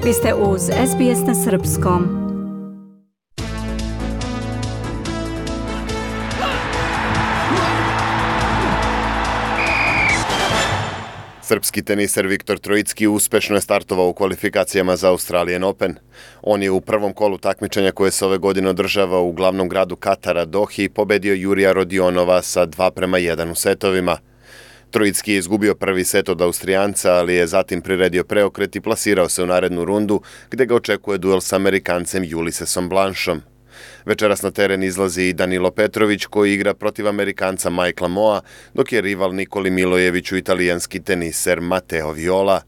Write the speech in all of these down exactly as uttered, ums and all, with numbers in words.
Vi ste uz S B S na srpskom. Srpski teniser Viktor Trojicki uspešno je startovao u kvalifikacijama za Australian Open. On je u prvom kolu takmičenja koje se ove godine održava u glavnom gradu Katara, Dohi, pobedio Jurija Rodionova sa dva prema jedan u setovima. Trojicki je izgubio prvi set od Austrijanca, ali je zatim priredio preokret i plasirao se u narednu rundu, gde ga očekuje duel s Amerikancem Ulisesom Blanchom. Večeras na teren izlazi i Danilo Petrović, koji igra protiv Amerikanca Michaela Moa, dok je rival Nikoli Milojeviću italijanski teniser Matteo Viola.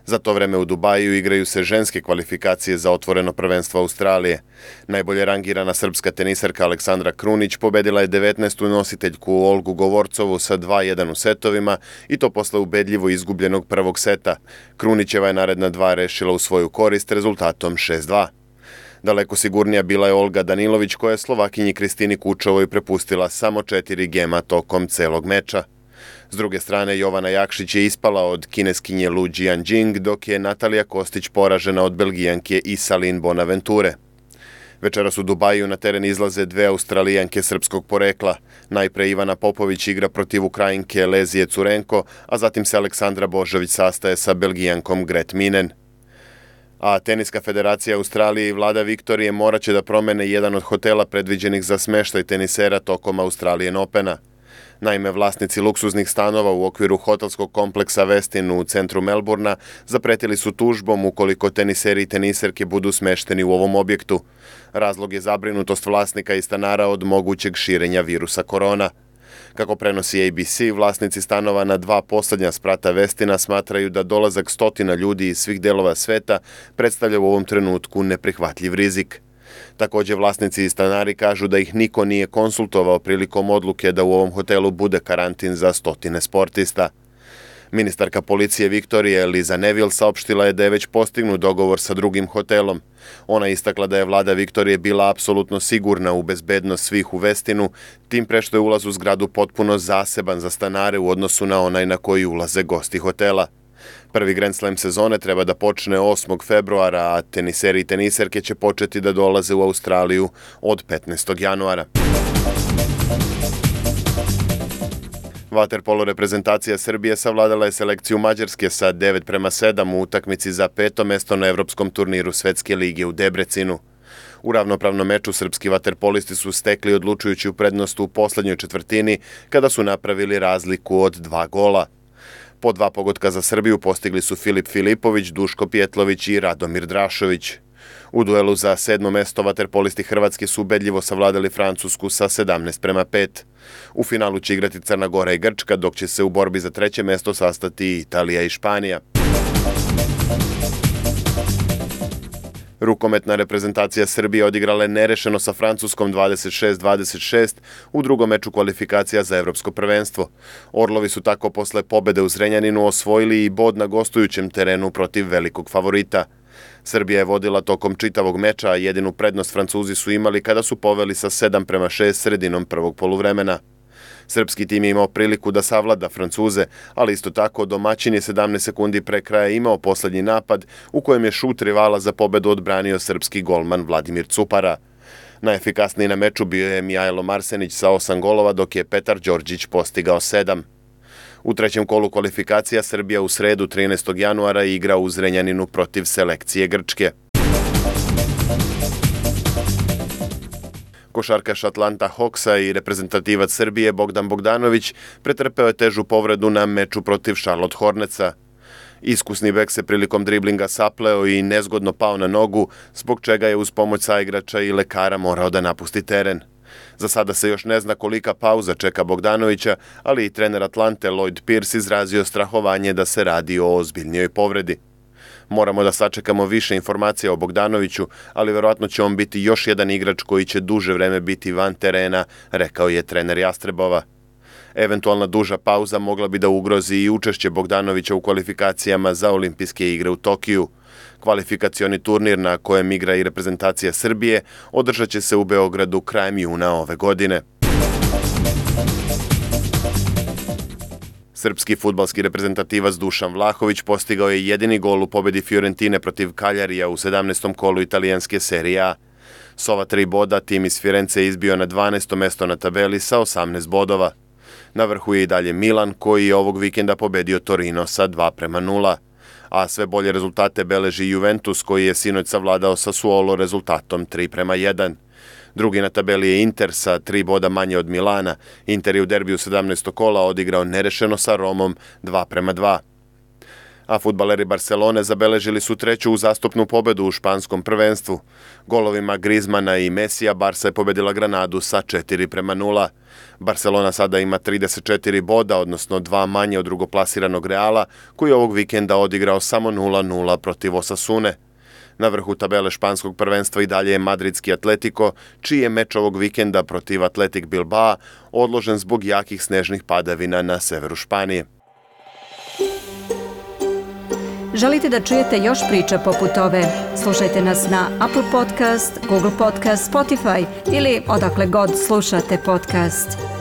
Za to vreme u Dubaju igraju se ženske kvalifikacije za otvoreno prvenstvo Australije. Najbolje rangirana srpska teniserka Aleksandra Krunić pobedila je devetnaestu nositeljku Olgu Govorcovu sa dva jedan u setovima i to posle ubedljivo izgubljenog prvog seta. Krunićeva je naredna dva rešila u svoju korist rezultatom šest dva. Daleko sigurnija bila je Olga Danilović, koja je Slovakinji Kristini Kučovoj prepustila samo četiri gema tokom celog meča. S druge strane, Jovana Jakšić je ispala od kineskinje Lu Jianjing, dok je Natalija Kostić poražena od Belgijanke Isalin Bonaventure. Večeras u Dubaju na teren izlaze dve Australijanke srpskog porekla. Najpre Ivana Popović igra protiv Ukrajinke Lezije Curenko, a zatim se Aleksandra Božović sastaje sa Belgijankom Gret Minen. A Teniska federacija Australije i vlada Viktorije morat će da promene jedan od hotela predviđenih za smeštaj tenisera tokom Australian Opena. Naime, vlasnici luksuznih stanova u okviru hotelskog kompleksa Westin u centru Melbourna zapretili su tužbom ukoliko teniseri i teniserke budu smešteni u ovom objektu. Razlog je zabrinutost vlasnika i stanara od mogućeg širenja virusa korona. Kako prenosi A B C, vlasnici stanova na dva poslednja sprata Westina smatraju da dolazak stotina ljudi iz svih delova sveta predstavlja u ovom trenutku neprihvatljiv rizik. Takođe, vlasnici i stanari kažu da ih niko nije konsultovao prilikom odluke da u ovom hotelu bude karantin za stotine sportista. Ministarka policije Viktorije Liza Neville saopštila je da je već postignut dogovor sa drugim hotelom. Ona istakla da je vlada Viktorije bila apsolutno sigurna u bezbednost svih u Westinu, tim pre što je ulaz u zgradu potpuno zaseban za stanare u odnosu na onaj na koji ulaze gosti hotela. Prvi Grand Slam sezone treba da počne osmog februara, a teniseri i teniserke će početi da dolaze u Australiju od petnaestog januara. Vaterpolo reprezentacija Srbije savladala je selekciju Mađarske sa devet prema sedam u utakmici za peto mesto na evropskom turniru Svetske lige u Debrecinu. U ravnopravnom meču srpski vaterpolisti su stekli odlučujuću prednost u poslednjoj četvrtini kada su napravili razliku od dva gola. Po dva pogotka za Srbiju postigli su Filip Filipović, Duško Pjetlović i Radomir Drašović. U duelu za sedmo mesto vaterpolisti Hrvatske su ubedljivo savladali Francusku sa sedamnaest prema pet. U finalu će igrati Crna Gora i Grčka, dok će se u borbi za treće mesto sastati Italija i Španija. Rukometna reprezentacija Srbije odigrala je nerešeno sa Francuskom dvadeset šest dvadeset šest u drugom meču kvalifikacija za evropsko prvenstvo. Orlovi su tako posle pobede u Zrenjaninu osvojili i bod na gostujućem terenu protiv velikog favorita. Srbija je vodila tokom čitavog meča, a jedinu prednost Francuzi su imali kada su poveli sa sedam prema šest sredinom prvog poluvremena. Srpski tim je imao priliku da savlada Francuze, ali isto tako domaćin je sedamnaest sekundi pre kraja imao poslednji napad u kojem je šut rivala za pobedu odbranio srpski golman Vladimir Cupara. Najefikasniji na meču bio je Mijajlo Marsenić sa osam golova, dok je Petar Đorđić postigao sedam. U trećem kolu kvalifikacija Srbija u sredu trinaestog januara igra u Zrenjaninu protiv selekcije Grčke. Košarkaš Atlanta Hawksa i reprezentativac Srbije Bogdan Bogdanović pretrpeo je težu povredu na meču protiv Charlotte Hornetsa. Iskusni bek se prilikom driblinga sapleo i nezgodno pao na nogu, zbog čega je uz pomoć saigrača i lekara morao da napusti teren. Za sada se još ne zna kolika pauza čeka Bogdanovića, ali i trener Atlante Lloyd Pierce izrazio strahovanje da se radi o ozbiljnijoj povredi. Moramo da sačekamo više informacija o Bogdanoviću, ali verovatno će on biti još jedan igrač koji će duže vreme biti van terena, rekao je trener Jastrebova. Eventualna duža pauza mogla bi da ugrozi i učešće Bogdanovića u kvalifikacijama za olimpijske igre u Tokiju. Kvalifikacioni turnir na kojem igra i reprezentacija Srbije održat će se u Beogradu krajem juna ove godine. Srpski fudbalski reprezentativac Dušan Vlahović postigao je jedini gol u pobedi Fiorentine protiv Kaljarija u sedamnaestom kolu italijanske serije A. S ova tri boda tim iz Firence je izbio na dvanaesto mesto na tabeli sa osamnaest bodova. Na vrhu je i dalje Milan, koji je ovog vikenda pobedio Torino sa dva prema nula. A sve bolje rezultate beleži Juventus, koji je sinoć savladao Sassuolo rezultatom tri prema jedan. Drugi na tabeli je Inter sa tri boda manje od Milana. Inter je u derbiju sedamnaestog kola odigrao nerešeno sa Romom dva prema dva. A fudbaleri Barcelone zabeležili su treću uzastopnu pobedu u španskom prvenstvu. Golovima Griezmana i Mesija Barsa je pobedila Granadu sa četiri prema nula. Barcelona sada ima trideset četiri boda, odnosno dva manje od drugoplasiranog Reala, koji je ovog vikenda odigrao samo nula nula protiv Osasune. Na vrhu tabele španskog prvenstva i dalje je madridski Atletico, čiji je meč ovog vikenda protiv Athletic Bilbao odložen zbog jakih snežnih padavina na severu Španije. Želite da čujete još priča poput ove? Slušajte nas na Apple Podcast, Google Podcast, Spotify ili odakle god slušate podcast.